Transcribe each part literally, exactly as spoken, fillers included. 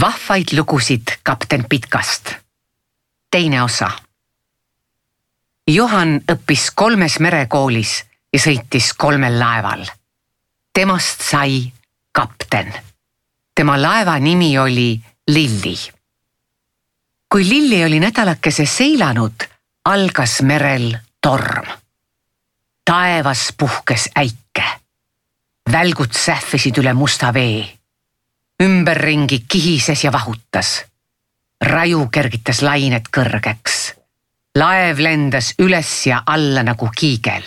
Vahvaid lugusid kapten Pitkast. Teine osa. Johan õppis kolmes merekoolis ja sõitis kolmel laeval. Temast sai kapten. Tema laeva nimi oli Lilli. Kui Lilli oli nädalakese seilanud, algas merel torm. Taevas puhkes äike. Välgud sähvisid üle musta vee. Ümberringi kihises ja vahutas. Raju kergitas lained kõrgeks. Laev lendas üles ja alla nagu kiigel.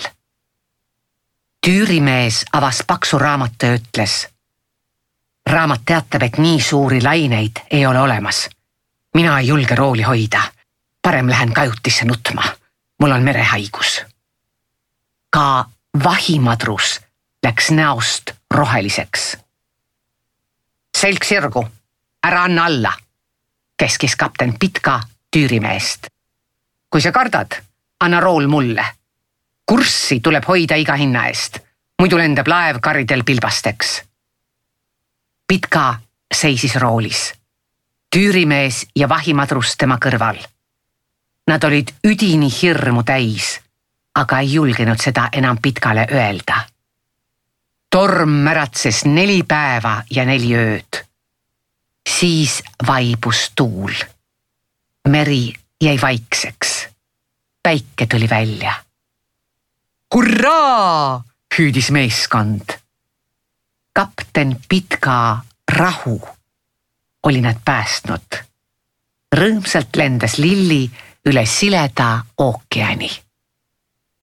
Tüürimees avas paksu raamatu ja ütles. Raamat teatab, et nii suuri laineid ei ole olemas. Mina ei julge rooli hoida. Parem lähen kajutisse nutma. Mul on merehaigus. Ka vahimadrus läks näost roheliseks. Selg sirgu, ära anna alla, keskis kapten Pitka tüürimeest. Kui sa kardad, anna rool mulle. Kurssi tuleb hoida iga hinna eest, muidu lendab laev karidel pilbasteks. Pitka seisis roolis. Tüürimees ja vahimadrus tema kõrval. Nad olid üdini hirmu täis, aga ei julgenud seda enam Pitkale öelda. Torm märatses neli päeva ja neli ööd. Siis vaibus tuul. Meri jäi vaikseks. Päike tuli välja. Hurraa! Hüüdis meeskond. Kapten Pitka rahu oli nad päästnud. Rõõmsalt lendas Lilli üle sileda ookeani.